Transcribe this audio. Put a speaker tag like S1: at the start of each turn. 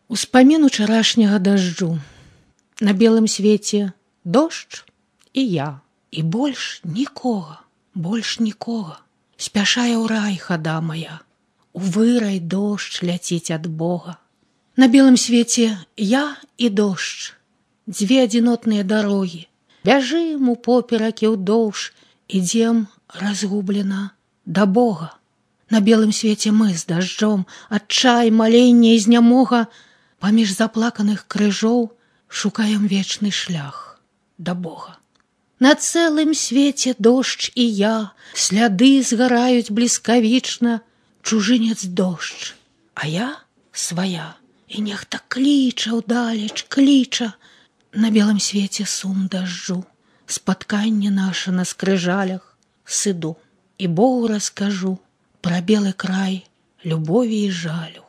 S1: Успамін учарашняга дажджу. На белым свеце дождж і я, і больш нікога, больш нікога. Спяшае ў рай хада мая, у вырай дождж ляціць ад Бога. На белым свеце я і дождж, дзве адзінотныя дарогі. Бяжым упоперакі ўдоўж, ідзем разгублена да Бога. На белым свеце мы з дажджом, адчай, маленне і знямога, паміж заплаканых крыжоў шукаем вечны шлях да Бога. На цэлым свеце дождж і я, сляды згараюць бліскавічна, чужынец дождж, а я свая, і нехта кліча ўдалеч, кліча. На белым свеце сум дажджу, спатканне наша на скрыжалях, сыду і Богу раскажу пра белы край любові і жалю.